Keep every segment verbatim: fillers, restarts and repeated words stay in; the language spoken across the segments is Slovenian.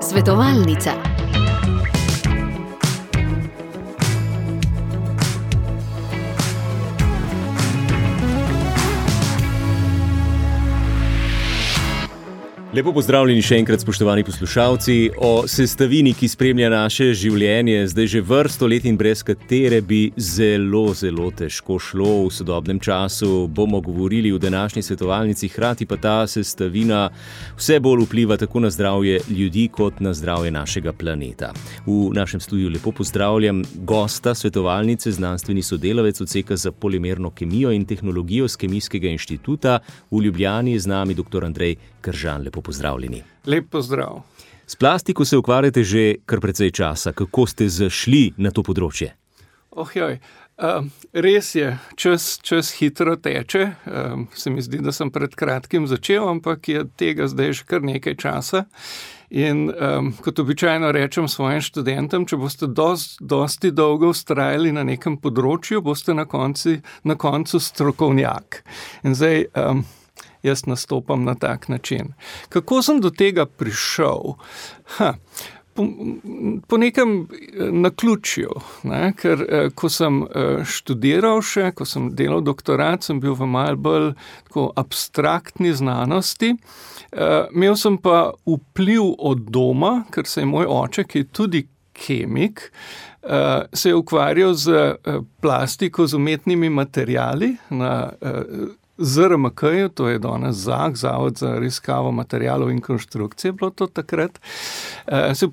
Svetovalnica. Lepo pozdravljeni še enkrat, spoštovani poslušalci. O sestavini, ki spremlja naše življenje zdaj že vrsto let in brez katere bi zelo, zelo težko šlo v sodobnem času, bomo govorili v današnji svetovalnici, hkrati pa ta sestavina vse bolj vpliva tako na zdravje ljudi kot na zdravje našega planeta. V našem studiu lepo pozdravljam gosta svetovalnice, znanstveni sodelavec odseka za polimerno kemijo in tehnologijo s Kemijskega inštituta v Ljubljani, z nami doktor Andrej Kržan. Lepo pozdravljeni. Lep pozdrav. S plastiko se ukvarjate že kar precej časa. Kako ste zašli na to področje? Oh, joj. Uh, res je, čas, čas hitro teče. Uh, se mi zdi, da sem pred kratkim začel, ampak je tega zdaj že kar nekaj časa. In um, kot običajno rečem svojim študentom, če boste dost, dosti dolgo vztrajali na nekem področju, boste na konci, na koncu strokovnjak. In zdaj um, jaz nastopam na tak način. Kako sem do tega prišel? Ha, po, po nekem naključju, ne? Ker ko sem študiral še, ko sem delal doktorat, sem bil v malo bolj tako abstraktni znanosti. Imel sem pa vpliv od doma, ker se je moj oče, ki je tudi kemik, se je ukvarjal z plastiko, z umetnimi materiali na Z R M K-ju, to je danes ZAK, Zavod za raziskavo materialov in konstrukcije, bilo to takrat, se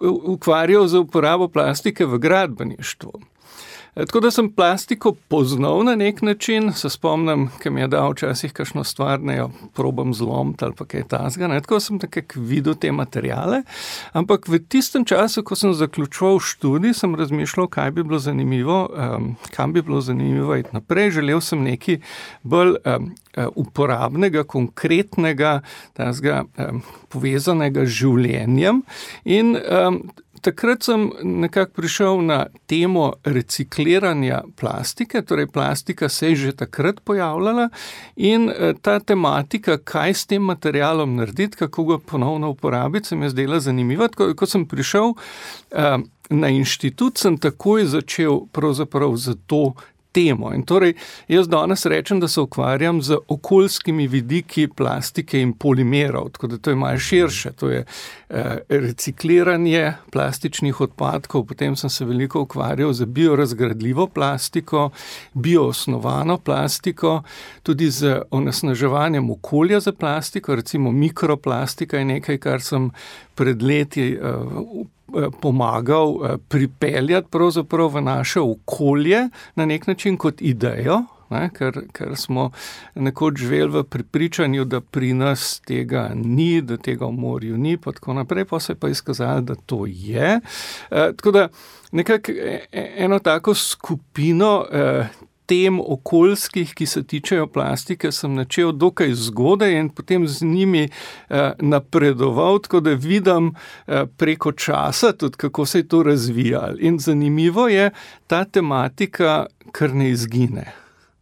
ukvarjal z uporabo plastike v gradbeništvu. Tako da sem plastiko poznal na nek način, se spomnim, ki mi je dal včasih kakšno stvar, ne jo probam zlomiti ali pa kaj tasga, ne, tako sem nekako videl te materiale, ampak v tistem času, ko sem zaključoval študij, sem razmišljal, kaj bi bilo zanimivo, um, kam bi bilo zanimivo iti naprej, želel sem nekaj bolj um, uporabnega, konkretnega, tasga, um, povezanega z življenjem in um, takrat sem nekako prišel na temo recikliranja plastike, torej plastika se je že takrat pojavljala in ta tematika, kaj s tem materialom narediti, kako ga ponovno uporabiti, se mi je zdela zanimiva. Ko, ko sem prišel uh, na inštitut, sem takoj začel pravzaprav za to temo. In torej, jaz danes rečem, da se ukvarjam z okoljskimi vidiki plastike in polimerov, tako da to je malo širše. To je eh, recikliranje plastičnih odpadkov, potem sem se veliko ukvarjal z biorazgradljivo plastiko, bioosnovano plastiko, tudi z onesnaževanjem okolja za plastiko, recimo mikroplastika je nekaj, kar sem pred leti eh, pomagal pripeljati pravzaprav v naše okolje na nek način kot idejo, ne, ker, ker smo nekoč živeli v prepričanju, da pri nas tega ni, da tega v morju ni, pa tako naprej, pa se je pa izkazalo, da to je. E, tako da nekako eno tako skupino e, tem okoljskih, ki se tičejo plastike, sem načel dokaj zgodaj in potem z njimi eh, napredoval, tako da vidim eh, preko časa tudi, kako se je to razvijalo. In zanimivo je, ta tematika kar ne izgine.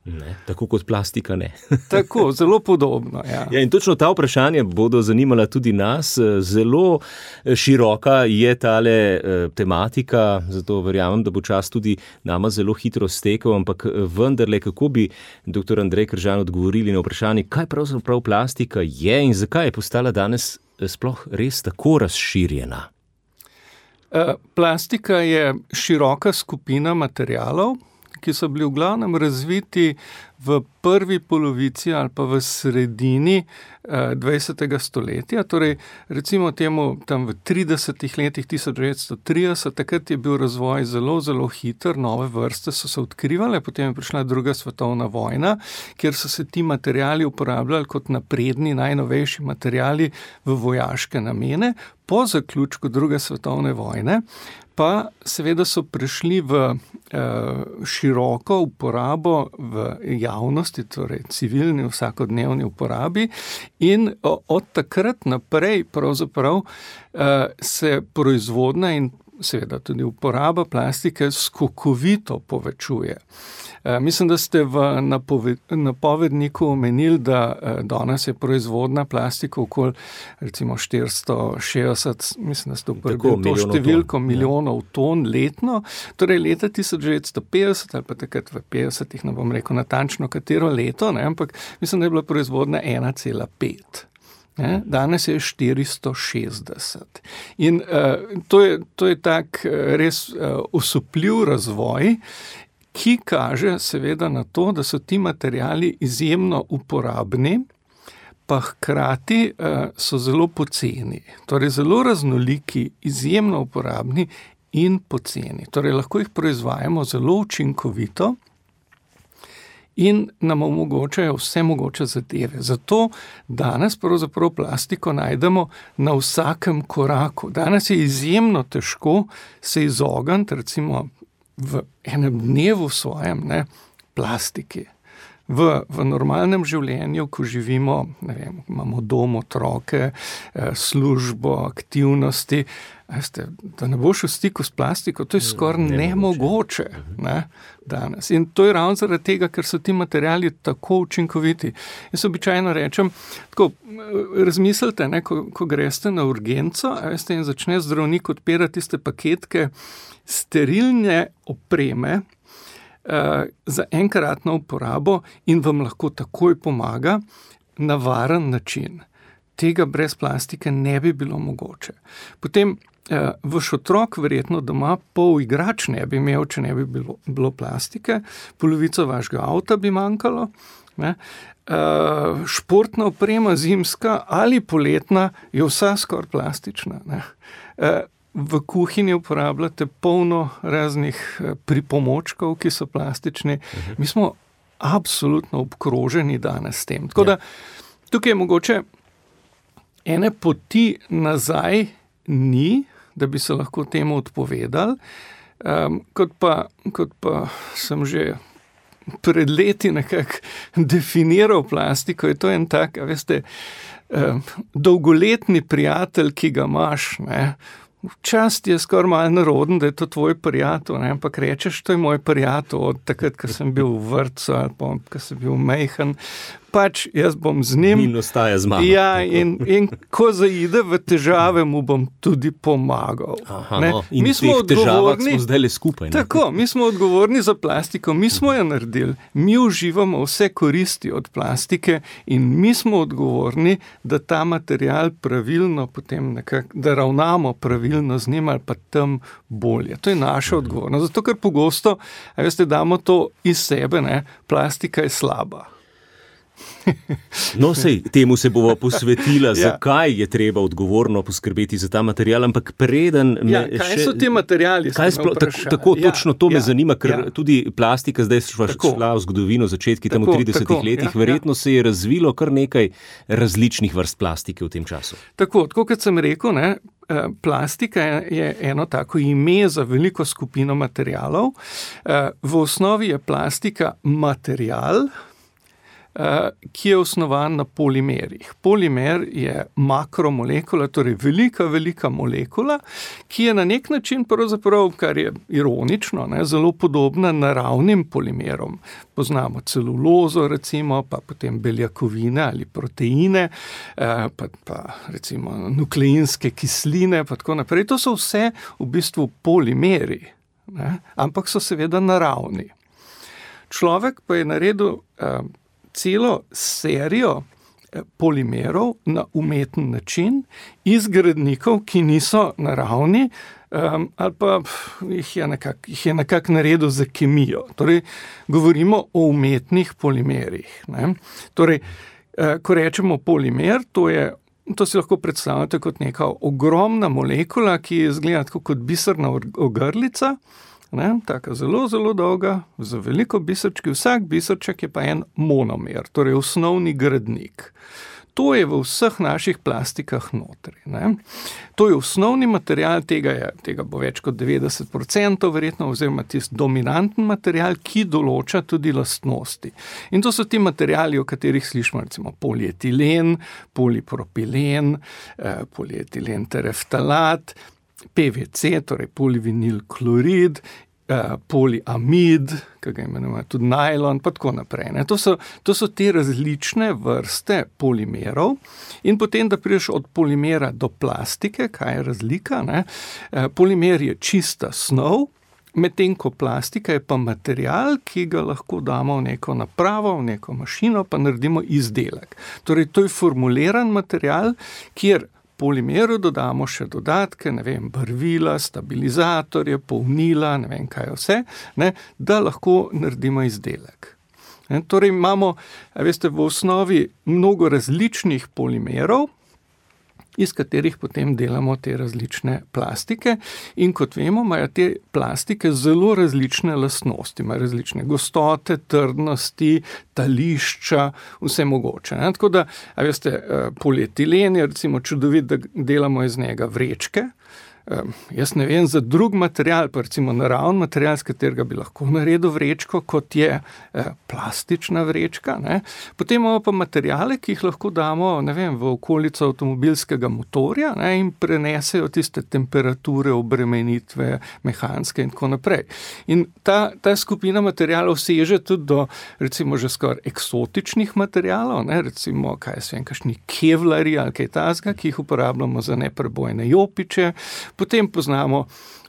Ne, tako kot plastika ne. Tako, zelo podobno, ja. Ja, in točno ta vprašanja bodo zanimala tudi nas. Zelo široka je tale tematika, zato verjamem, da bo čas tudi nama zelo hitro stekel, ampak vendarle, kako bi doktor Andrej Kržan odgovorili na vprašanje, kaj pravzaprav plastika je in zakaj je postala danes sploh res tako razširjena? Plastika je široka skupina materialov, ki so bili v glavnem razviti v prvi polovici ali pa v sredini dvajsetega stoletja, torej recimo temu tam v tridesetih letih tisoč devetsto trideset, takrat je bil razvoj zelo, zelo hiter, nove vrste so se odkrivale, potem je prišla druga svetovna vojna, kjer so se ti materiali uporabljali kot napredni, najnovejši materiali v vojaške namene. Po zaključku druge svetovne vojne pa seveda so prišli v eh, široko uporabo v javnosti, torej civilni vsakodnevni uporabi in od takrat naprej pravzaprav eh, se proizvodnja in seveda tudi uporaba plastike skokovito povečuje. Mislim, da ste v napovedniku omenili, da danes je proizvodna plastika okoli recimo štiristo šestdeset, mislim, da ste uporabili to številko ton. milijonov ton letno, torej leta tisoč devetsto petdeset ali pa takrat v petdesetih, ne bom rekel natančno katero leto, ne, ampak mislim, da je bila proizvodna ena cela pet. Ne, danes je štiristo šestdeset. In uh, to je, to je tak uh, res uh, osupljiv razvoj, ki kaže seveda na to, da so ti materiali izjemno uporabni, pa hkrati uh, so zelo poceni. Torej zelo raznoliki, izjemno uporabni in poceni. Torej lahko jih proizvajamo zelo učinkovito in nam omogočajo vse mogoče zadeve. Zato danes pravzaprav plastiko najdemo na vsakem koraku. Danes je izjemno težko se izogniti, recimo v enem dnevu svojem, ne, plastiki. V, v normalnem življenju, ko živimo, ne vem, imamo dom, otroke, službo, aktivnosti, veste, da ne boš v stiku s plastiko, to je skoraj nemogoče, ne, danes. In to je ravno zaradi tega, ker so ti materiali tako učinkoviti. Jaz običajno rečem, tako, razmislite, ne, ko, ko greste na urgenco, veste, in začne zdravnik odpirati tiste paketke sterilne opreme, za enkratno uporabo in vam lahko takoj pomaga na varen način. Tega brez plastike ne bi bilo mogoče. Potem eh, vaš otrok verjetno doma pol igrač ne bi imel, če ne bi bilo, bilo plastike, polovico vašega avta bi manjkalo, ne? Eh, športna oprema zimska ali poletna je vsa skoraj plastična, ne? Eh, V kuhinji uporabljate polno raznih pripomočkov, ki so plastični. Uh-huh. Mi smo absolutno obkroženi danes s tem. Tako da tukaj je mogoče ene poti nazaj ni, da bi se lahko temu odpovedali. Um, kot pa, kot pa sem že pred leti nekako definiral plastiko, je to en tak, veste, um, dolgoletni prijatelj, ki ga imaš, ne, včasih je skoraj malo naroden, da je to tvoj prijatelj, ne? Ampak rečeš, to je moj prijatelj od takrat, ko sem bil v vrtcu ali pa, ko sem bil mejhan. Pač jaz bom z njim. In ostaja z mano. Ja, in, in ko zaide v težave, mu bom tudi pomagal. Aha, no. In mi smo teh težavah smo zdaj le skupaj. Ne? Tako, mi smo odgovorni za plastiko, mi smo jo naredili, mi uživamo vse koristi od plastike in mi smo odgovorni, da ta material pravilno potem nekako, da ravnamo pravilno z njim ali pa tam bolje. To je naša odgovornost. Zato, ker pogosto, a veste, damo to iz sebe, ne, plastika je slaba. No, sej, temu se bova posvetila, ja. Zakaj je treba odgovorno poskrbeti za ta material, ampak preden me ja, kaj še... so ti materiali? Kaj splo... Tako, tako ja, točno to me ja, zanima, ker ja. Tudi plastika, zdaj šla, šla v zgodovino, začetki tam v tridesetih tako, letih, ja, verjetno ja. Se je razvilo kar nekaj različnih vrst plastike v tem času. Tako, tako kot sem rekel, ne, plastika je eno tako ime za veliko skupino materialov. V osnovi je plastika material, ki je osnovan na polimerih. Polimer je makromolekula, torej velika, velika molekula, ki je na nek način pravzaprav, kar je ironično, ne, zelo podobna naravnim polimerom. Poznamo celulozo, recimo, pa potem beljakovine ali proteine, pa, pa recimo nukleinske kisline, pa tako naprej. To so vse v bistvu polimeri, ne, ampak so seveda naravni. Človek pa je naredil celo serijo polimerov na umeten način iz gradnikov, ki niso naravni, um, ali pa jih je nekako jih je nekako naredil za kemijo. Torej, govorimo o umetnih polimerih. Ne? Torej, eh, ko rečemo polimer, to je To si lahko predstavljate kot neka ogromna molekula, ki izgleda tako kot biserna ogrlica, ne, taka zelo, zelo dolga, z veliko biserčki. Vsak biserček je pa en monomer, torej osnovni gradnik. To je v vseh naših plastikah notri. Ne. To je osnovni material, tega, je, tega bo več kot devetdeset procent verjetno, oziroma tisti dominanten material, ki določa tudi lastnosti. In to so ti materiali, o katerih slišimo, recimo polietilen, polipropilen, eh, polietilen tereftalat. P V C, torej polivinil klorid, poliamid, ki ga imenujemo tudi najlon, pa tako naprej. Ne. To so, to so te različne vrste polimerov in potem, da prideš od polimera do plastike, kaj je razlika, ne. Polimer je čista snov, medtem ko plastika je pa material, ki ga lahko damo v neko napravo, v neko mašino, pa naredimo izdelek. Torej, to je formuliran material, kjer polimeru dodamo še dodatke, ne vem, barvila, stabilizatorje, polnila, ne vem kaj vse, ne, da lahko naredimo izdelek. Ne, torej imamo, veste, v osnovi mnogo različnih polimerov, iz katerih potem delamo te različne plastike in kot vemo, imajo te plastike zelo različne lastnosti, imajo različne gostote, trdnosti, tališča, vse mogoče. Ne? Tako da, a veste, polietilen je recimo čudovit, da delamo iz njega vrečke. Um, jaz ne vem za drug material, pa recimo naravni material, z katerega bi lahko naredil vrečko, kot je eh, plastična vrečka. Ne? Potem imamo pa materiale, ki jih lahko damo, ne vem, v okolico avtomobilskega motorja, ne? In prenesejo tiste temperature, obremenitve, mehanske in tako naprej. In ta, ta skupina materialov seže tudi do recimo že skoraj eksotičnih materialov, ne? Recimo, kaj jaz vem, kakšni kevlarji ali kaj takega, ki jih uporabljamo za neprebojne jopiče. Potem poznamo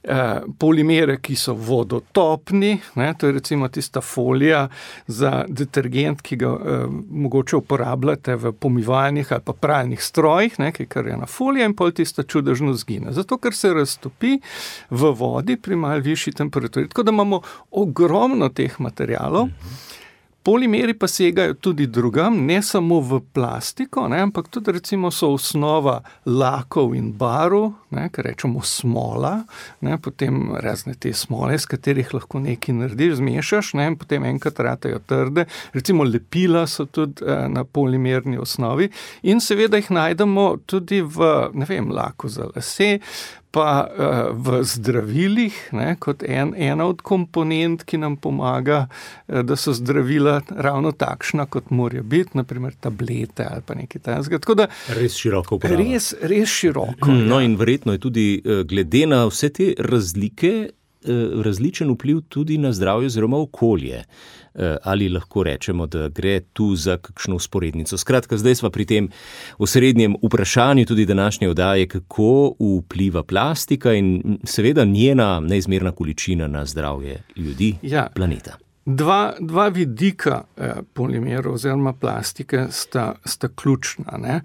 eh, polimere, ki so vodotopni, ne, to je recimo tista folija za detergent, ki ga eh, mogoče uporabljate v pomivalnih ali pa pralnih strojih, ne, ki je karjena folija in pol tista čudežno zgine. Zato, ker se raztopi v vodi pri malo višji temperaturi. Tako da imamo ogromno teh materialov. Mm-hmm. Polimeri pa segajo tudi drugam, ne samo v plastiko, ne, ampak tudi recimo so osnova lakov in barv, ne, kar rečemo smola, ne, potem razne te smole, s katerih lahko nekaj narediš, zmešaš, ne, in potem enkrat ratejo trde. Recimo lepila so tudi eh, na polimerni osnovi in seveda jih najdemo tudi v, ne vem, laku za lase, pa uh, v zdravilih, ne, kot en, ena od komponent, ki nam pomaga, uh, da so zdravila ravno takšna, kot morajo biti, naprimer tablete ali pa nekaj takega. Tako da res široko uporaba. Res, res široko. No in verjetno je tudi glede na vse te razlike različen vpliv tudi na zdravje oziroma okolje. Ali lahko rečemo, da gre tu za kakšno usporednico. Skratka, zdaj smo pri tem osrednjem vprašanju tudi današnje oddaje, kako vpliva plastika in seveda njena neizmerna količina na zdravje ljudi, ja, planeta. Dva, dva vidika eh, polimerov oziroma plastike sta, sta ključna. Ne?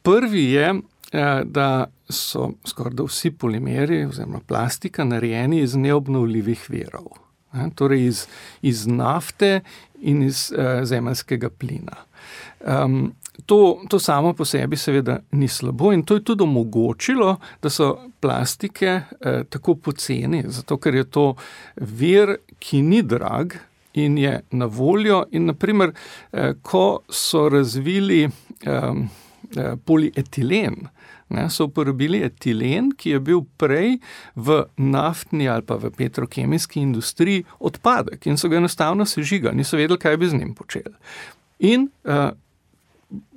Prvi je, eh, da so skoraj da vsi polimeri oziroma plastika narejeni iz neobnovljivih virov. Ne, torej iz, iz nafte in iz uh, zemeljskega plina. Um, to, to samo po sebi seveda ni slabo in to je tudi omogočilo, da so plastike uh, tako poceni, zato ker je to vir, ki ni drag in je na voljo in naprimer, uh, ko so razvili um, uh, polietilen, ne, so uporabili etilen, ki je bil prej v naftni ali pa v petrokemijski industriji odpadek in so ga enostavno sežigali, niso vedeli, kaj bi z njim počeli. In uh,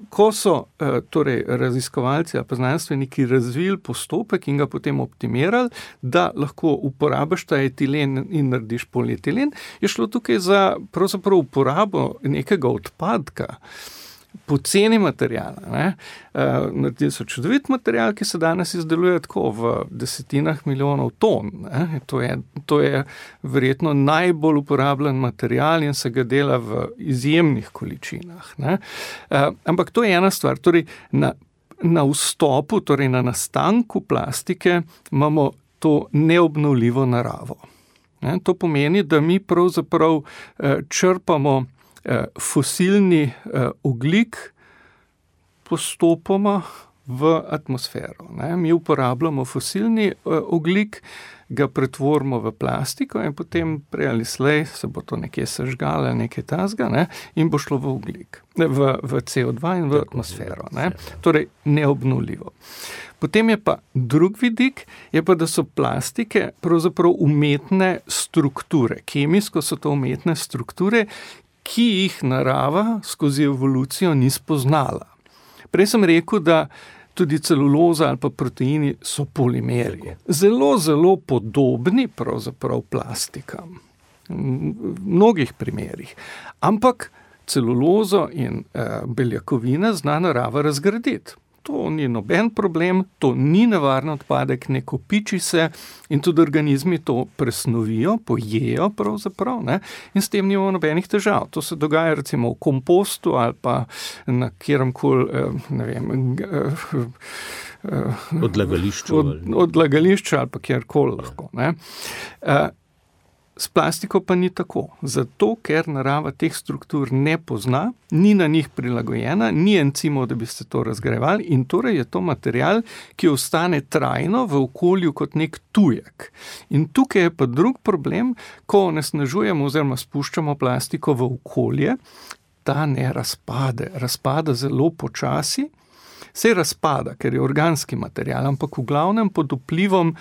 ko so uh, torej raziskovalci ali pa znanstveniki razvili postopek in ga potem optimirali, da lahko uporabiš ta etilen in narediš polietilen, je šlo tukaj za pravzaprav uporabo nekega odpadka, poceni materijala. Ne? Uh, naredili so čudovit material, ki se danes izdeluje tako v desetinah milijonov ton. Ne? To je, to je verjetno najbolj uporabljen material in se ga dela v izjemnih količinah. Ne? Uh, ampak to je ena stvar. Torej, na, na vstopu, torej na nastanku plastike imamo to neobnovljivo naravo. Ne? To pomeni, da mi pravzaprav uh, črpamo fosilni ogljik postopoma v atmosfero. Ne? Mi uporabljamo fosilni ogljik, ga pretvorimo v plastiko in potem prej ali slej se bo to nekje sežgalo ali nekaj tasga, ne? In bo šlo v ogljik, v, v C O dva in v atmosfero. Ne? Torej neobnovljivo. Potem je pa drug vidik, je pa, da so plastike pravzaprav umetne strukture. Kemijsko so to umetne strukture, ki jih narava skozi evolucijo ni spoznala. Prej sem rekel, da tudi celuloza ali pa proteini so polimeri. Zelo, zelo podobni pravzaprav plastikam. V mnogih primerih. Ampak celulozo in eh, beljakovine zna narava razgraditi. To ni noben problem, to ni nevaren odpadek, ne kopiči se in tudi organizmi to presnovijo, pojejo pravzaprav, ne, in s tem nimamo nobenih težav. To se dogaja recimo v kompostu ali pa na kjeremkoli, ne vem, odlagališču, od, odlagališču ali pa kjerkoli lahko. Ne. S plastiko pa ni tako, zato ker narava teh struktur ne pozna, ni na njih prilagojena, ni encimov, da bi se to razgrajevali in torej je to material, ki ostane trajno v okolju kot nek tujek. In tukaj je pa drug problem, ko onesnažujemo oziroma spuščamo plastiko v okolje, ta ne razpade, razpada zelo počasi, se razpada, ker je organski material, ampak v glavnem pod vplivom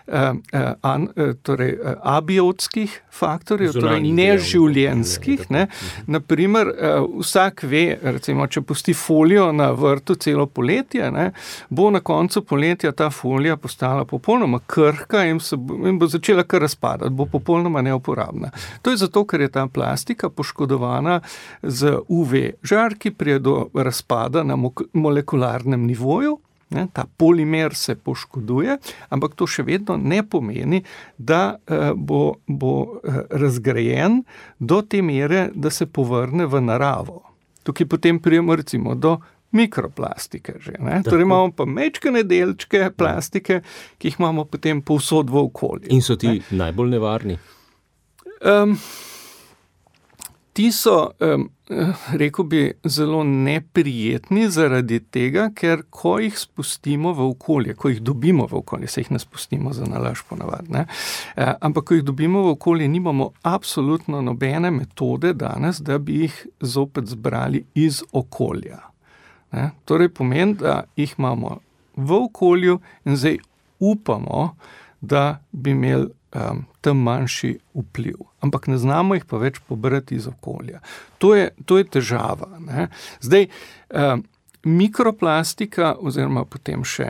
eh, eh, torej, eh, abiotskih faktorjev, torej neživljenjskih. Ne. Naprimer, eh, vsak ve, recimo, če pusti folijo na vrtu celo poletje, ne, bo na koncu poletja ta folija postala popolnoma krhka in, se bo, in bo začela kar razpadati, bo popolnoma neuporabna. To je zato, ker je ta plastika poškodovana z U V žarki, prije do razpada na molekularnem nivoju, ne, ta polimer se poškoduje, ampak to še vedno ne pomeni, da eh, bo, bo eh, razgrajen do te mere, da se povrne v naravo. Tukaj potem prijemo recimo do mikroplastike že, ne. Torej imamo pa majčkene delčke plastike, ki jih imamo potem povsod v okolju. In so ti ne. najbolj nevarni? Um, Ti so, um, rekel bi, zelo neprijetni zaradi tega, ker ko jih spustimo v okolje, ko jih dobimo v okolje, se jih ne spustimo za nalaž ponavadi, ne, e, ampak ko jih dobimo v okolje, nimamo absolutno nobene metode danes, da bi jih zopet zbrali iz okolja. Ne. Torej pomeni, da jih imamo v okolju in zdaj upamo, da bi imeli um, tam manjši vpliv. Ampak ne znamo jih pa več pobrati iz okolja. To je, to je težava. Ne. Zdaj, um, mikroplastika oziroma potem še,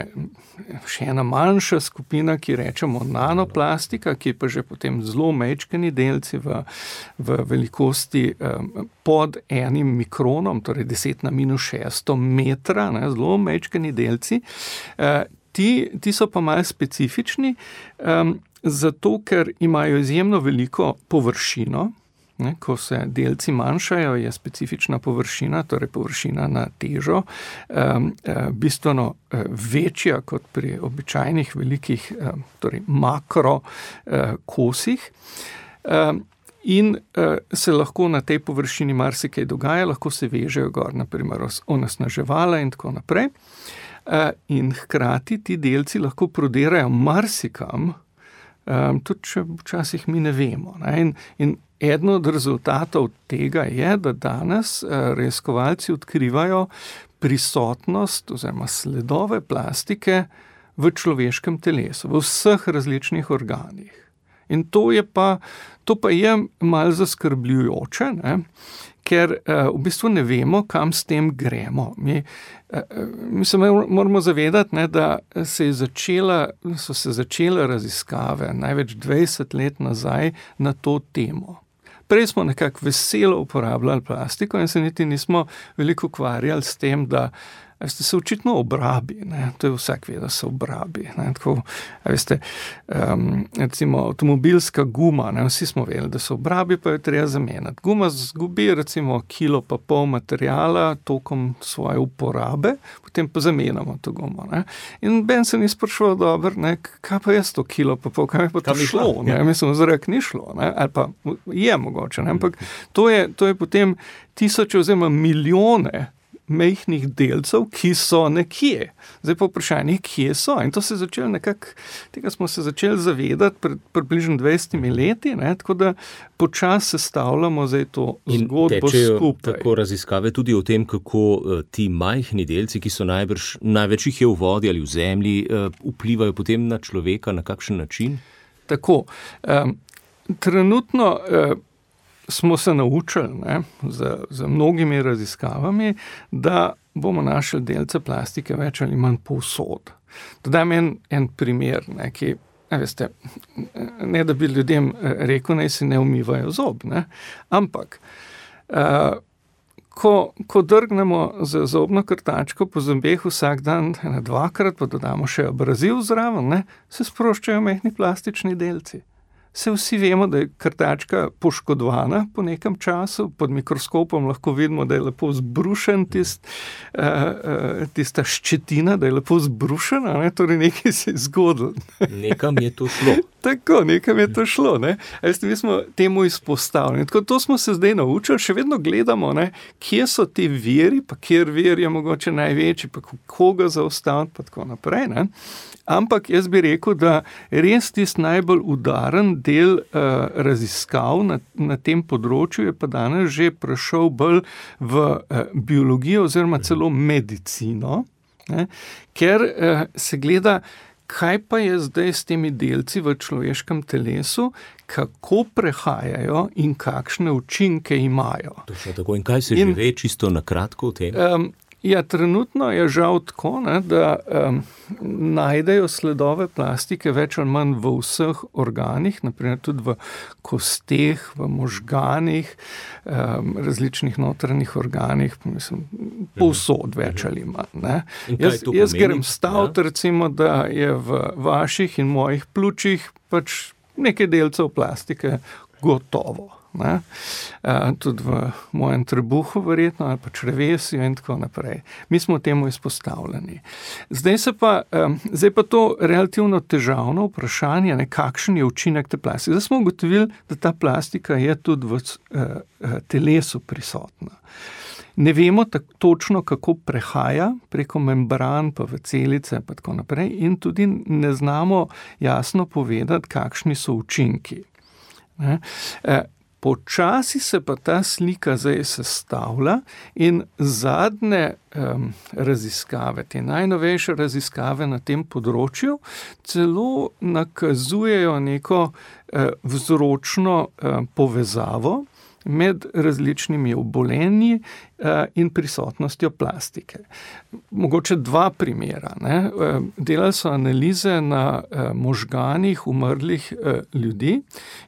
še ena manjša skupina, ki rečemo nanoplastika, ki je pa že potem zelo majčkeni delci v, v velikosti um, pod enim mikronom, torej deset na minus šesto metra, ne, zelo majčkeni delci. Uh, ti, ti so pa malo specifični, um, zato, ker imajo izjemno veliko površino. Ne, ko se delci manjšajo, je specifična površina, torej površina na težo, um, bistveno večja kot pri običajnih velikih, um, torej makro uh, kosih. Um, in uh, se lahko na tej površini marsikaj dogaja, lahko se vežejo gor, naprimer onesnaževala in tako naprej. Uh, in hkrati ti delci lahko prodirajo marsikam, Um, tudi če včasih mi ne vemo. Ne? In, in eden od rezultatov tega je, da danes uh, raziskovalci odkrivajo prisotnost oziroma sledove plastike v človeškem telesu, v vseh različnih organih. In to je pa, to pa je malo zaskrbljujoče, ne? Ker uh, v bistvu ne vemo, kam s tem gremo. Mi, uh, mi se moramo zavedati, ne, da se je začela, so se začele raziskave največ dvajset let nazaj na to temo. Prej smo nekako veselo uporabljali plastiko in se niti nismo veliko ukvarjali s tem, da veste, se očitno obrabi, ne, to je vsak ve, da se obrabi, ne, tako, veste, um, recimo avtomobilska guma, ne, vsi smo vedeli, da se obrabi, pa jo treba zamenjati. Guma zgubi recimo kilo pa pol materijala tokom svoje uporabe, potem pa zamenjamo to gumo, ne. In Ben se ni sprašoval, dobro, ne, kaj pa je to kilo pa pol, kaj je pa to šlo, ne, mislim, zrak ni šlo, ne, ali pa je mogoče, ne, ampak to je, to je potem tisoče oziroma milijone majhnih delcev, ki so nekje. Zdaj pa vprašanje, kje so. In to se je začelo nekako, tega smo se začeli zavedati pred približno dvajsetimi leti, ne, tako da počasi sestavljamo zdaj to zgodbo skupaj. Tako raziskave tudi o tem, kako uh, ti majhni delci, ki so najbrž, največ jih je v vodi ali v zemlji, uh, vplivajo potem na človeka, na kakšen način? Tako. Um, trenutno uh, smo se naučili, ne, z, z mnogimi raziskavami, da bomo našli delce plastike več ali manj povsod. Dodam en, en primer, ne, ki, ne, veste, ne da bi ljudem rekel, naj si ne umivajo zob, ne, ampak uh, ko, ko drgnemo z zobno krtačko po zobeh vsak dan ena dvakrat, pa dodamo še abraziv zraven, ne, se sproščajo majhni plastični delci. Se vsi vemo, da je krtačka poškodovana po nekem času, pod mikroskopom lahko vidimo, da je lepo zbrušen tist, uh, tista ščetina, da je lepo zbrušena, ne? Torej nekaj se je zgodilo. Nekam je to šlo. Tako, nekam je to šlo. Ne? Veste, mi smo temu izpostavljeni. Tako, to smo se zdaj naučili, še vedno gledamo, ne? Kje so ti viri, pa kjer vir je mogoče največji, pa koga zaustaviti, pa tako naprej. Ne? Ampak jaz bi rekel, da res tist najbolj udaren del uh, raziskav na, na tem področju je pa danes že prešel bolj v uh, biologijo oziroma celo medicino, ne? Ker uh, se gleda, kaj pa je zdaj s temi delci v človeškem telesu, kako prehajajo in kakšne učinke imajo. Točno tako. In kaj se in, že ve čisto na kratko o tem? Um, Ja, trenutno je žal tako, ne, da um, najdejo sledove plastike več ali manj v vseh organih, naprimer tudi v kosteh, v možganih, um, različnih notranjih organih, mislim, povsod več ali manj. Ne. Jaz, jaz grem staviti, ja? Recimo, da je v vaših in mojih pljučih pač nekaj delcev plastike gotovo. Ne? Uh, tudi v mojem trebuhu verjetno, ali pa črevesju in tako naprej. Mi smo temu izpostavljeni. Zdaj se pa, um, zdaj pa to relativno težavno vprašanje, ne, kakšen je učinek te plastike. Zdaj smo ugotovili, da ta plastika je tudi v uh, telesu prisotna. Ne vemo tako točno, kako prehaja preko membran, pa v celice, pa tako naprej, in tudi ne znamo jasno povedati, kakšni so učinki. Ne? Uh, Počasi se pa ta slika zdaj sestavlja in zadnje um, raziskave, te najnovejše raziskave na tem področju celo nakazujejo neko uh, vzročno uh, povezavo med različnimi obolenji uh, in prisotnostjo plastike. Mogoče dva primera. Ne? Uh, delali so analize na uh, možganih umrlih uh, ljudi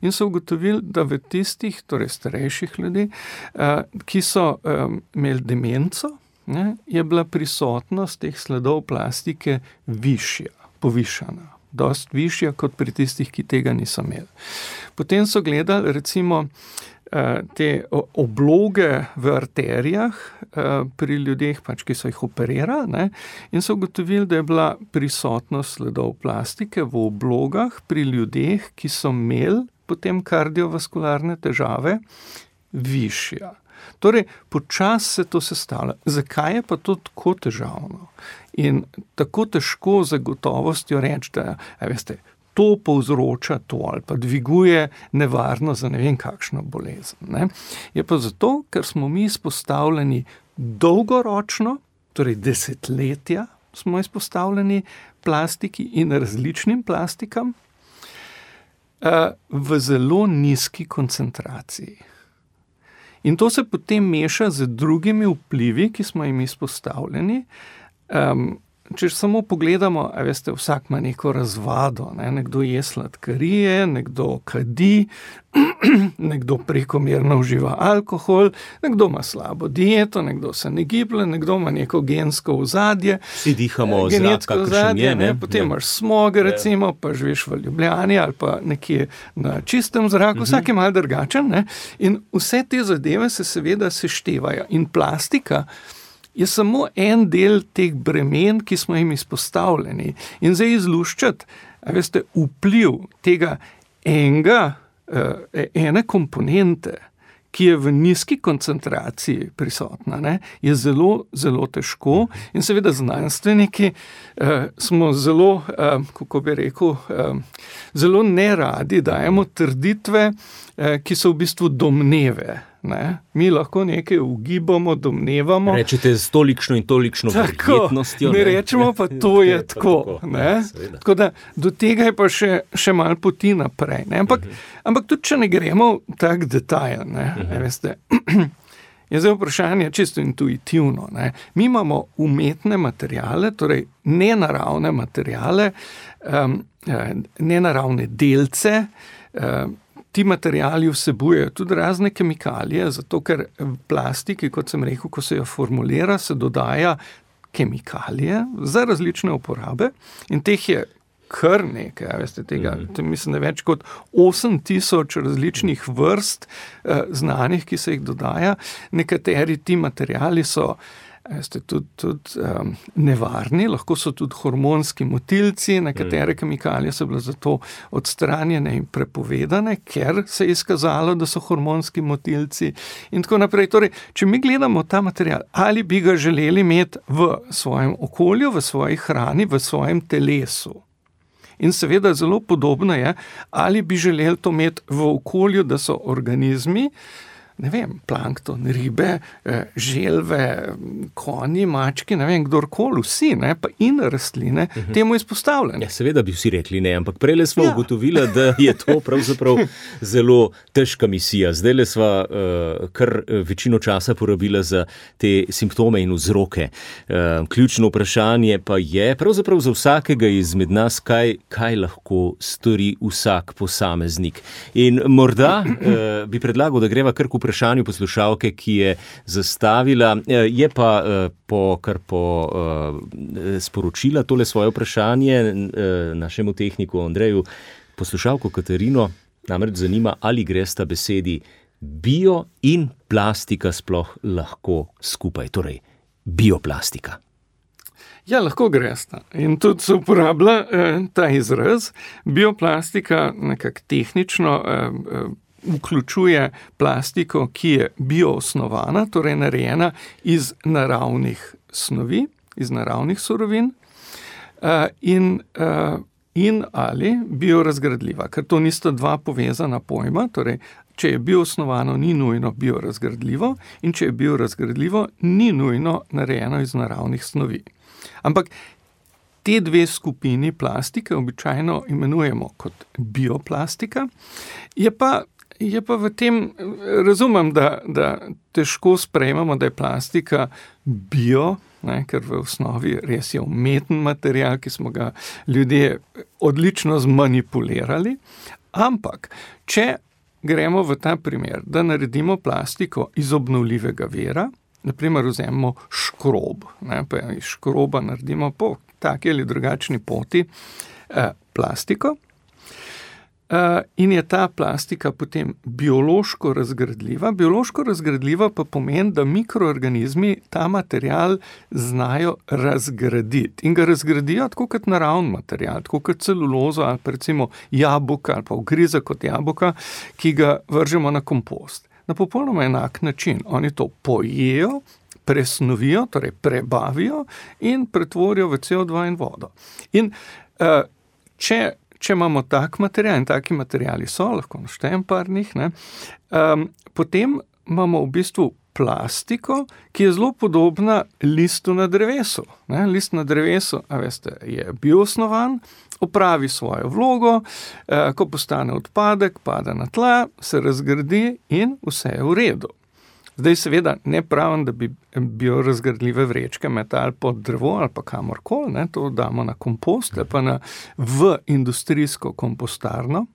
in so ugotovili, da v tistih, torej starejših ljudi, uh, ki so um, imeli demenco, ne, je bila prisotnost teh sledov plastike višja, povišana. Dost višja kot pri tistih, ki tega niso imeli. Potem so gledali recimo te obloge v arterijah pri ljudeh, pač, ki so jih operirali, ne, in so ugotovili, da je bila prisotnost sledov plastike v oblogah pri ljudeh, ki so imeli potem kardiovaskularne težave, višja. Torej, počasi se to sestavlja. Zakaj je pa to tako težavno? In tako težko za gotovostjo reči, da, a veste, to povzroča to ali pa dviguje nevarno za ne vem kakšno bolezen. Ne? Je pa zato, ker smo mi izpostavljeni dolgoročno, torej desetletja smo izpostavljeni plastiki in različnim plastikam v zelo nizki koncentraciji. In to se potem meša z drugimi vplivi, ki smo jim izpostavljeni. Um, Če samo pogledamo, a veste, vsak ima neko razvado, ne? Nekdo je sladkarije, nekdo kadi, nekdo prekomerno uživa alkohol, nekdo ima slabo dieto, nekdo se ne giblje, nekdo ima neko gensko ozadje. Vsi dihamo zrak, kakšen je, ne? Potem imaš smog, recimo, pa živiš v Ljubljani ali pa nekje na čistem zraku, vsak je malo drugačen, ne? In vse te zadeve se seveda seštevajo. In plastika je samo en del teh bremen, ki smo jim izpostavljeni. In zdaj izluščati, a veste, vpliv tega enega, ene komponente, ki je v nizki koncentraciji prisotna, ne, je zelo, zelo težko. In seveda znanstveniki eh, smo zelo, eh, kako bi rekel, eh, zelo neradi dajemo trditve, eh, ki so v bistvu domneve. Ne? Mi lahko nekaj ugibamo, domnevamo. Rečete z tolikšno in tolikšno verjetnostjo. Mi rečemo pa, to je tako. tako, ne? Ja, tako da do tega je pa še, še malo poti naprej. Ne? Ampak, uh-huh. ampak tudi, če ne gremo v tak detajl, ne? Uh-huh. Veste, je zdaj vprašanje čisto intuitivno. Ne? Mi imamo umetne materijale, torej nenaravne materijale, um, nenaravne delce. Um, ti materijali vsebujejo tudi razne kemikalije, zato ker v plastiki, kot sem rekel, ko se jo formulira, se dodaja kemikalije za različne uporabe in teh je kar nekaj, veste, tega, mm. mislim, da več kot osem tisoč različnih vrst eh, znanih, ki se jih dodaja. Nekateri ti materijali so veste, tudi, tudi um, nevarni, lahko so tudi hormonski motilci, nekatere mm. kemikalije so bile zato odstranjene in prepovedane, ker se je izkazalo, da so hormonski motilci in tako naprej. Torej, če mi gledamo ta material, ali bi ga želeli imeti v svojem okolju, v svoji hrani, v svojem telesu. In seveda zelo podobno je, ali bi želeli to imeti v okolju, da so organizmi, ne vem, plankton, ribe, želve, konji, mački, ne vem, kdorkoli, vsi, ne, pa in rastline, uh-huh. temu izpostavljeni. Ja, seveda bi vsi rekli ne, ampak prejle smo ja. ugotovili, da je to pravzaprav zelo težka misija. Zdajle sva uh, kar večino časa porabila za te simptome in vzroke. Uh, ključno vprašanje pa je pravzaprav za vsakega izmed nas, kaj, kaj lahko stori vsak posameznik. In morda uh, bi predlagal, da greva kar k vprašanju poslušalke, ki je zastavila, je pa po, kar po sporočila tole svoje vprašanje našemu tehniku Andreju, poslušalko Katarino, namreč zanima, ali gresta besedi bio in plastika sploh lahko skupaj, torej bioplastika. Ja, lahko gresta. In tudi se uporablja eh, ta izraz. Bioplastika nekako tehnično eh, vključuje plastiko, ki je bioosnovana, torej narejena iz naravnih snovi, iz naravnih surovin in, in ali biorazgradljiva, ker to nista dva povezana pojma, torej če je bioosnovano, ni nujno biorazgradljivo in če je biorazgradljivo, ni nujno narejeno iz naravnih snovi. Ampak te dve skupini plastike običajno imenujemo kot bioplastika, je pa Je pa v tem, razumem, da, da težko sprejmemo, da je plastika bio, ne, ker v osnovi res je umeten material, ki smo ga ljudje odlično zmanipulirali, ampak če gremo v ta primer, da naredimo plastiko iz obnovljivega vira, naprimer vzememo škrob, ne, pa iz škroba naredimo po taki ali drugačni poti eh, plastiko, Uh, in je ta plastika potem biološko razgradljiva. Biološko razgradljiva pa pomeni, da mikroorganizmi ta material znajo razgraditi. In ga razgradijo tako kot naravni material, tako kot celulozo ali pa recimo jabolka ali pa ugrizek kot jabolka, ki ga vržemo na kompost. Na popolnoma enak način. Oni to pojejo, presnovijo, torej prebavijo in pretvorijo v C O dva in vodo. In uh, če Če imamo tak material, in taki materiali so, lahko naštejem par njih, ne, um, potem imamo v bistvu plastiko, ki je zelo podobna listu na drevesu. Ne. List na drevesu, a veste, je bioosnovan, opravi svojo vlogo, eh, ko postane odpadek, pada na tla, se razgradi in vse je v redu. Zdaj seveda ne pravim, da bi biorazgradljive vrečke metali pod drevo ali pa kamorkoli, ne, to damo na kompost ali pa na, v industrijsko kompostarno,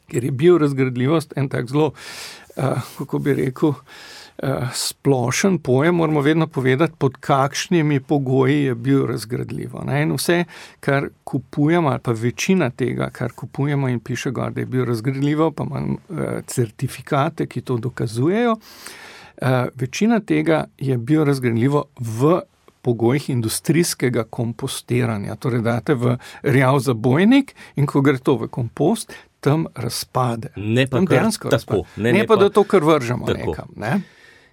ker je biorazgradljivost en tak zelo, uh, kako bi rekel, uh, splošen pojem, moramo vedno povedati, pod kakšnimi pogoji je biorazgradljivo. Ne, in vse, kar kupujemo, ali pa večina tega, kar kupujemo in piše gor, da je biorazgradljivo, pa imam uh, certifikate, ki to dokazujejo, Uh, večina tega je biorazgradljivo v pogojih industrijskega kompostiranja. Torej date v rjav zabojnik in ko gre to v kompost, tam razpade. Ne pa kar tako. Ne, ne pa, da to kar vržemo tako nekam. Ne?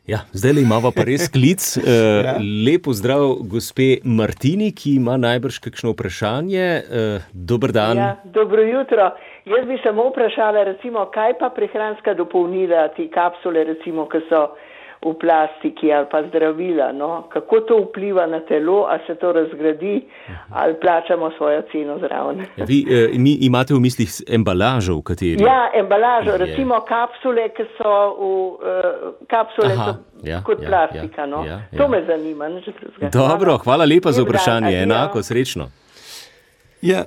Ja, zdaj le imamo pa res klic. Uh, ja. Lepo zdrav gospe Martini, ki ima najbrž kakšno vprašanje. Uh, dober dan. Ja, dobro jutro. Jaz bi samo vprašala, recimo, kaj pa prehranska dopolnila, ti kapsule, recimo, ki so v plastiki ali pa zdravila, no, kako to vpliva na telo, ali se to razgradi, ali plačamo svojo ceno zraven. Ja, vi eh, mi imate v mislih embalažo, v kateri? Ja, embalažo, je. Recimo kapsule, ki so v uh, kapsule Aha, so ja, kot ja, plastika, ja, no. Ja, ja. To me zanima. Ne, Dobro, hvala lepa za vprašanje, enako, srečno. Ja,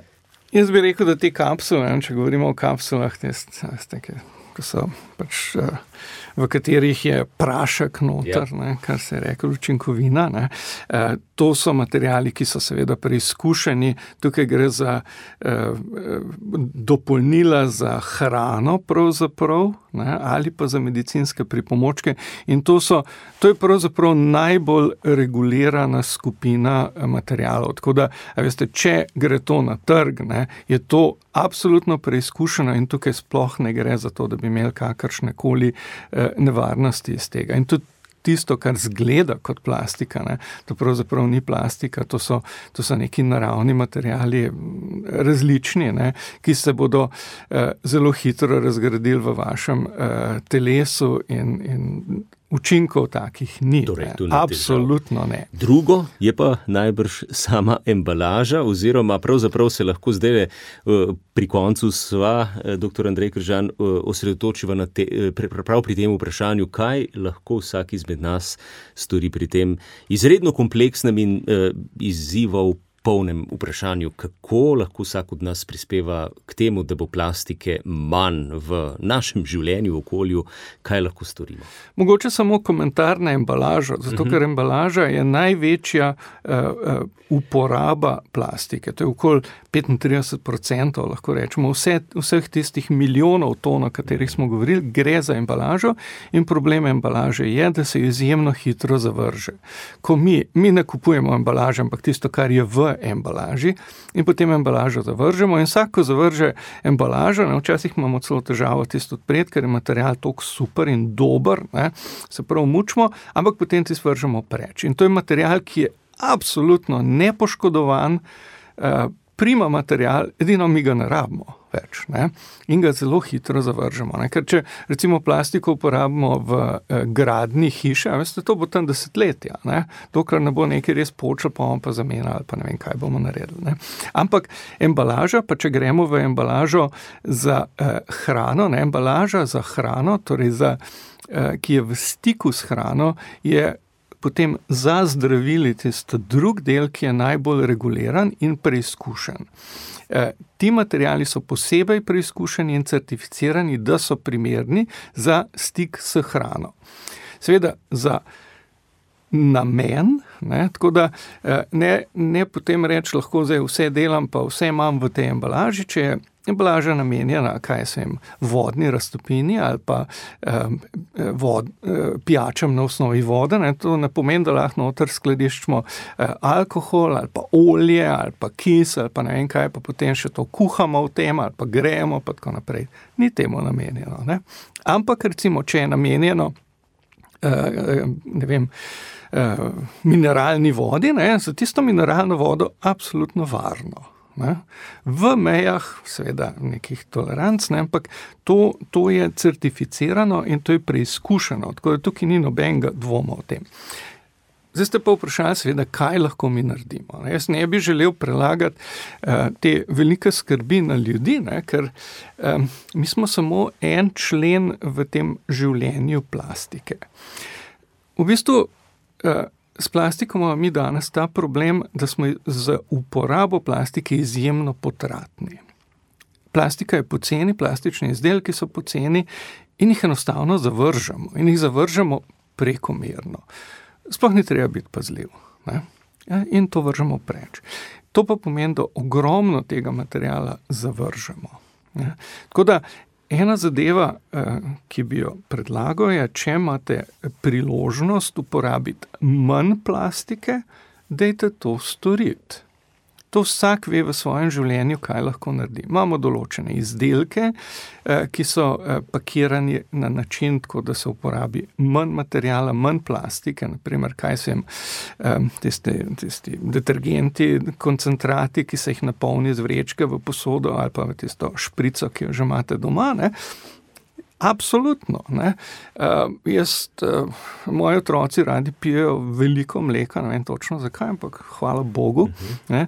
jaz bi rekel, da te kapsule, če govorimo o kapsulah, te, ki so pač... Uh, v katerih je prašek noter, yep. ne, kar se je rekel učinkovina. Ne. E, to so materiali, ki so seveda preizkušeni. Tukaj gre za e, dopolnila za hrano pravzaprav, ne, ali pa za medicinske pripomočke. In to, so, to je pravzaprav najbolj regulirana skupina materialov. Tako da, a veste, če gre to na trg, ne, je to absolutno preizkušeno in tukaj sploh ne gre za to, da bi imeli kakršne koli nevarnosti iz tega. In tudi tisto, kar zgleda kot plastika, ne, to pravzaprav ni plastika, to so, to so neki naravni materiali različni, ne, ki se bodo eh, zelo hitro razgradili v vašem eh, telesu in, in učinkov takih ni. Torej, ne. Absolutno ne. Drugo je pa najbrž sama embalaža, oziroma pravzaprav se lahko zdaj pri koncu sva, doktor Andrej Kržan, osredotočiva na te, prav pri tem vprašanju, kaj lahko vsak izmed nas stori pri tem izredno kompleksnem in uh, izzivov polnem vprašanju, kako lahko vsak od nas prispeva k temu, da bo plastike manj v našem življenju, v okolju, kaj lahko storimo. Mogoče samo komentar na embalažo, zato ker embalaža je največja uh, uh, uporaba plastike. To je okoli petintrideset procentov, lahko rečemo, vse, vseh tistih milijonov ton, o katerih smo govorili, gre za embalažo in problem embalaže je, da se izjemno hitro zavrže. Ko mi, mi ne kupujemo embalaže, ampak tisto, kar je v embalaži in potem embalažo zavržemo in vsako zavrže embalažo, ne, včasih imamo celo težavo tisto odpred, ker je material toliko super in dober, ne, se prav mučimo, ampak potem ti svržemo preč. In to je material, ki je absolutno nepoškodovan, eh, prima material, edino mi ga ne rabimo več, ne, in ga zelo hitro zavržemo. Ne, ker če recimo plastiko uporabimo v eh, gradni hiše, veste, to bo tam desetletja, ne, dokler ne bo nekaj res počel, pa bomo pa zamenjali, ali pa ne vem, kaj bomo naredili. Ne. Ampak embalaža, pa če gremo v embalažo za eh, hrano, ne, embalaža za hrano, torej za, eh, ki je v stiku s hrano, je potem za zdravili tisto drug del, ki je najbolj reguliran in preizkušen. E, ti materiali so posebej preizkušeni in certificirani, da so primerni za stik s hrano. Seveda za namen, ne, tako da ne, ne potem reči lahko zdaj vse delam, pa vse imam v tej embalaži, če je embalaža namenjena, kaj se jim, vodni raztopini ali pa eh, vod, eh, pijačem na osnovi vode, ne, to ne pomeni, da lahko noter skladiščimo eh, alkohol ali pa olje ali pa kis ali pa ne vem kaj, pa potem še to kuhamo v tem ali pa grejemo pa tako naprej. Ni temu namenjeno. Ne. Ampak recimo, če je namenjeno eh, ne vem, eh, mineralni vodi, ne, za tisto mineralno vodo absolutno varno. Ne? V mejah, seveda, nekih toleranc, ne? Ampak to, to je certificirano in to je preizkušeno, tako da tukaj ni nobenega dvoma o tem. Zdaj ste pa vprašali, seveda, kaj lahko mi naredimo. Ne? Jaz ne bi želel prelagati uh, te velike skrbi na ljudi, ne? Ker um, mi smo samo en člen v tem življenju plastike. V bistvu uh, s plastiko imamo mi danes ta problem, da smo z uporabo plastike izjemno potratni. Plastika je poceni, plastični izdelki so poceni in jih enostavno zavržemo. In jih zavržemo prekomerno. Sploh ni treba biti pazljiv. Ne? In to vržemo preč. To pa pomeni, da ogromno tega materijala zavržemo. Ne? Tako da ena zadeva, ki bi jo predlagal, je, če imate priložnost uporabiti manj plastike, dajte to storiti. To vsak ve v svojem življenju, kaj lahko naredi. Imamo določene izdelke, ki so pakirani na način, tako da se uporabi manj materijala, manj plastike, naprimer, kaj se jim, tisti, tisti detergenti, koncentrati, ki se jih napolni z vrečke v posodo ali pa v tisto šprico, ki jo že imate doma, ne? Absolutno. Ne. Uh, jaz, uh, moji otroci radi pijejo veliko mleka, ne vem točno zakaj, ampak hvala Bogu. Ne.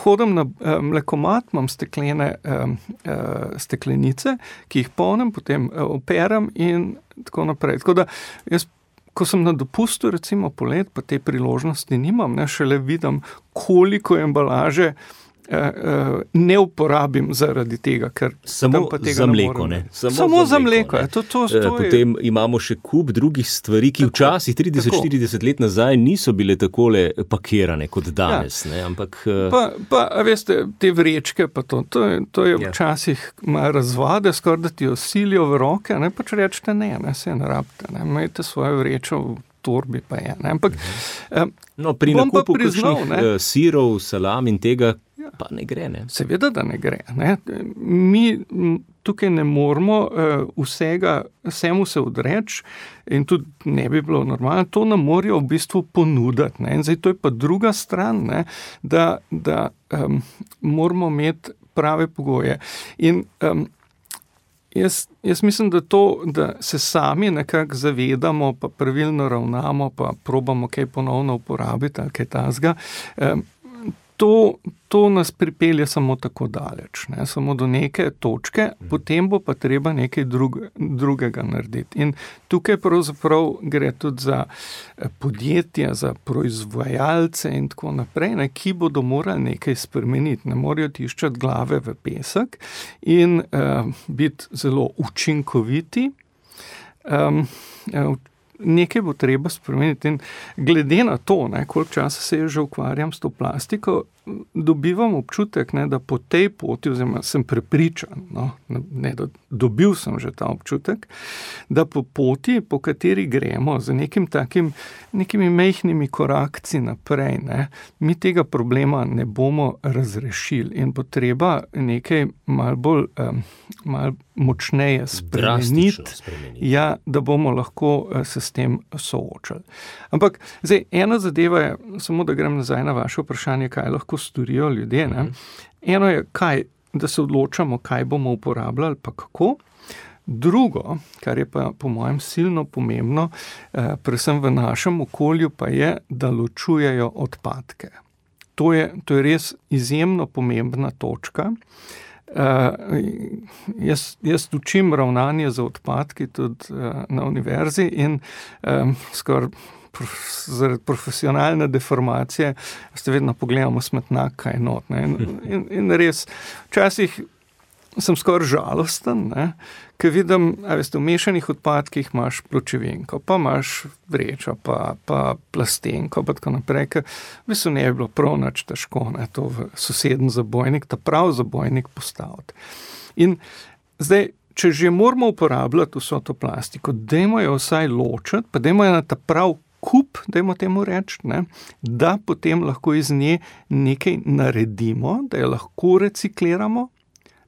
Hodim na uh, mlekomat, imam steklene uh, uh, steklenice, ki jih polnim, potem uh, operam in tako naprej. Tako da jaz, ko sem na dopustu, recimo polet, pa te priložnosti nimam, ne, šele vidim, koliko embalaže ne uporabim zaradi tega, ker samo pa tega za mleko, ne ne? Samo, samo za mleko, je. To, to, to Potem je... imamo še kup drugih stvari, ki tako, včasih trideset štirideset let nazaj niso bile takole pakirane kot danes, ja. ne? Ampak... Pa, pa, a veste, te vrečke, pa to, to je, to je ja. včasih malo razvade, skoraj da ti jo silijo v roke, ne, pač rečete ne, ne, se ne rabite, ne, imejte svojo vrečo v torbi pa je, ne, ampak... Uh-huh. No, pri nakupu kakšnih sirov, salam in tega, pa ne gre, ne? Seveda, da ne gre, ne. Mi tukaj ne moramo vsega, vsemu se odreči in tudi ne bi bilo normalno, to nam morajo v bistvu ponuditi, ne. In zdaj to je pa druga stran, ne, da, da um, moramo imeti prave pogoje. In um, jaz, jaz mislim, da to, da se sami nekako zavedamo, pa pravilno ravnamo, pa probamo kaj ponovno uporabiti ali kaj tasga, um, To, to nas pripelje samo tako daleč, ne? Samo do neke točke, potem bo pa treba nekaj drug, drugega narediti. In tukaj pravzaprav gre tudi za podjetja, za proizvajalce in tako naprej, ne? Ki bodo morali nekaj spremeniti. Ne morajo tiščati glave v pesek in uh, biti zelo učinkoviti. Um, uh, Nekaj bo treba spremeniti in glede na to, ne, koliko časa se že ukvarjam s to plastiko, dobivam občutek, ne, da po tej poti, oziroma sem prepričan, no, ne, da dobil sem že ta občutek, da po poti, po kateri gremo, z nekim takim, nekimi mehkimi korakci naprej, ne, mi tega problema ne bomo razrešili in bo treba nekaj malo bolj, um, malo močneje spremeniti, ja, da bomo lahko se s tem soočali. Ampak, zdaj, ena zadeva je, samo da grem nazaj na vaše vprašanje, kaj lahko storijo ljudje, ne. Eno je, kaj, da se odločamo, kaj bomo uporabljali, pa kako. Drugo, kar je pa po mojem silno pomembno, eh, predvsem v našem okolju, pa je, da ločujejo odpadke. To je, to je res izjemno pomembna točka. Uh, jaz, jaz učim ravnanje za odpadki tudi uh, na univerzi in um, skoraj prof, zaradi profesionalne deformacije ste vedno pogledamo smetnak, kaj not. Ne? In, in, in res, včasih sem skoraj žalosten, ne? Ker vidim, a veste, v mešanih odpadkih imaš pločevinko, pa imaš vrečo, pa, pa plastenko, pa tako naprej, ker v bistvu ne bi bilo prav nič težko, ne, to v soseden zabojnik, ta prav zabojnik postaviti. In zdaj, če že moramo uporabljati vso to plastiko, dajmo jo vsaj ločiti, pa dajmo jo na ta prav kup, dajmo temu reči, ne, da potem lahko iz nje nekaj naredimo, da jo lahko recikliramo.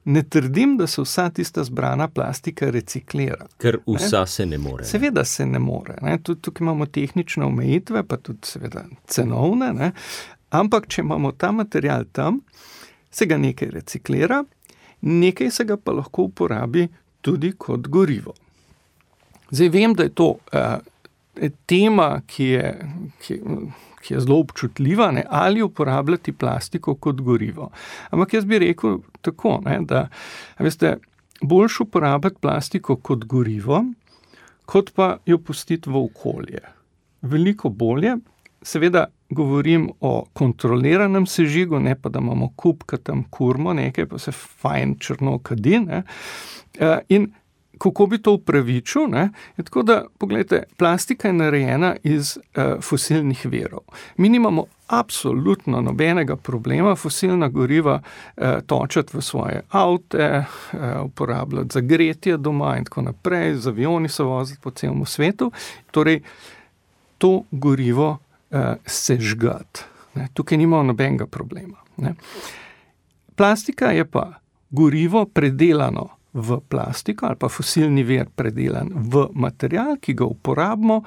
Ne trdim, da se vsa tista zbrana plastika reciklira. Ker vsa ne? se ne more. Seveda se ne more. Ne? Tudi tukaj imamo tehnične omejitve, pa tudi seveda cenovne. Ne? Ampak, če imamo ta material tam, se ga nekaj reciklira, nekaj se ga pa lahko uporabi tudi kot gorivo. Zdaj vem, da je to uh, tema, ki je... Ki, ki je zelo občutljiva, ne, ali uporabljati plastiko kot gorivo. Ampak jaz bi rekel tako, ne, da veste, boljše uporabljati plastiko kot gorivo, kot pa jo pustiti v okolje. Veliko bolje, seveda govorim o kontroliranem sežigu, ne pa da imamo kup, ki tam kurmo nekaj, pa se fajn črno kadi, ne, in kako bi to upravičil, ne? Je tako da, pogledajte, plastika je narejena iz uh, fosilnih virov. Mi nimamo absolutno nobenega problema fosilna goriva uh, točati v svoje avte, uh, uporabljati za gretje doma in tako naprej, z avioni se voziti po celem svetu. Torej, to gorivo uh, sežgati. Ne? Tukaj nimamo nobenega problema. Ne? Plastika je pa gorivo predelano v plastiko ali pa fosilni vir predelan v material, ki ga uporabimo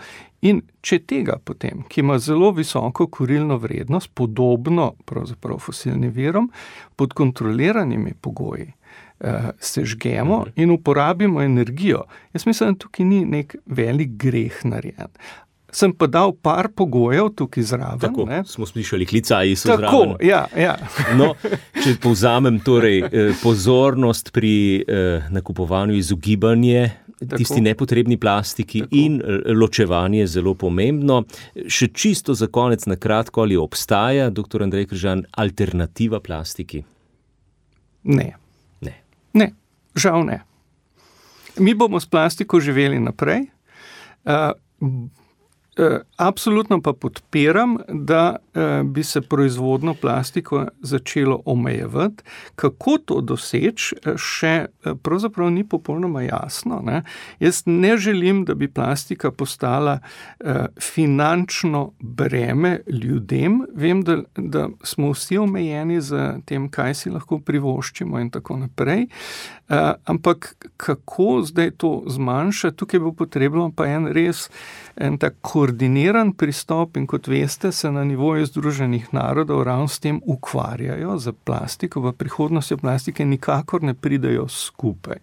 in če tega potem, ki ima zelo visoko kurilno vrednost, podobno pravzaprav fosilnim virom, pod kontroliranimi pogoji, uh, sežgemo in uporabimo energijo. Jaz mislim, da tukaj ni nek velik greh narejen. Sem pa dal par pogojev tukaj zraven. Tako, ne? Smo slišali, klicaji so Tako, zraven. Tako, ja, ja. No, če povzamem, torej, pozornost pri eh, nakupovanju, izogibanje Tako. tisti nepotrebni plastiki Tako. in ločevanje zelo pomembno. Še čisto za konec na kratko, ali obstaja, doktor Andrej Kržan, alternativa plastiki? Ne. Ne. Ne, žal ne. Mi bomo s plastiko živeli naprej. Uh, Absolutno pa podpiram, da bi se proizvodno plastiko začelo omejevati. Kako to doseči, še pravzaprav ni popolnoma jasno. Ne? Jaz ne želim, da bi plastika postala finančno breme ljudem. Vem, da, da smo vsi omejeni z tem, kaj si lahko privoščimo in tako naprej. Ampak kako zdaj to zmanjša? Tukaj bo potrebno pa en res en tak koordiniran pristop in kot veste, se na nivoju Združenih narodov ravno s tem ukvarjajo za plastiko. V prihodnosti plastike nikakor ne pridejo skupaj.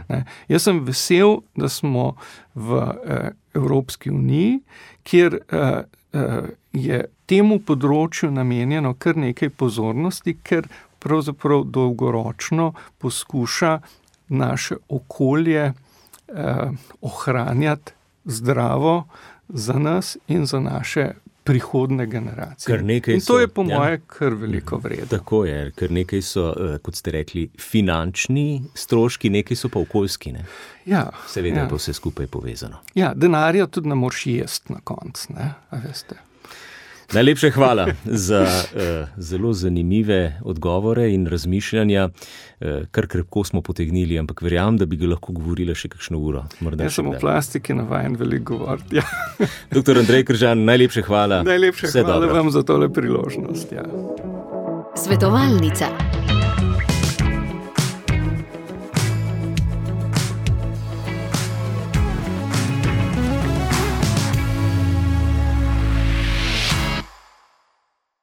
Ne? Jaz sem vesel, da smo v eh, Evropski uniji, kjer eh, eh, je temu področju namenjeno kar nekaj pozornosti, ker pravzaprav dolgoročno poskuša naše okolje eh, ohranjati zdravo za nas in za naše prihodne generacije. In to so, je po ja. moje kar veliko vredno. Tako je, ker nekaj so, kot ste rekli, finančni stroški, nekaj so pa okoljski. Ne? Ja, Seveda ja. je pa vse skupaj povezano. Ja, denarja tudi ne moreš jesti na koncu, ne, a veste. Najlepše hvala za uh, zelo zanimive odgovore in razmišljanja. Uh, kar krepko smo potegnili, ampak verjamem, da bi ga lahko govorila še kakšno uro. Jaz sem o plastiki navajen veliko govoriti. Ja. Doktor Andrej Kržan, najlepše hvala. Najlepše Vse hvala dobro. vam za tole priložnost. Ja. Svetovalnica.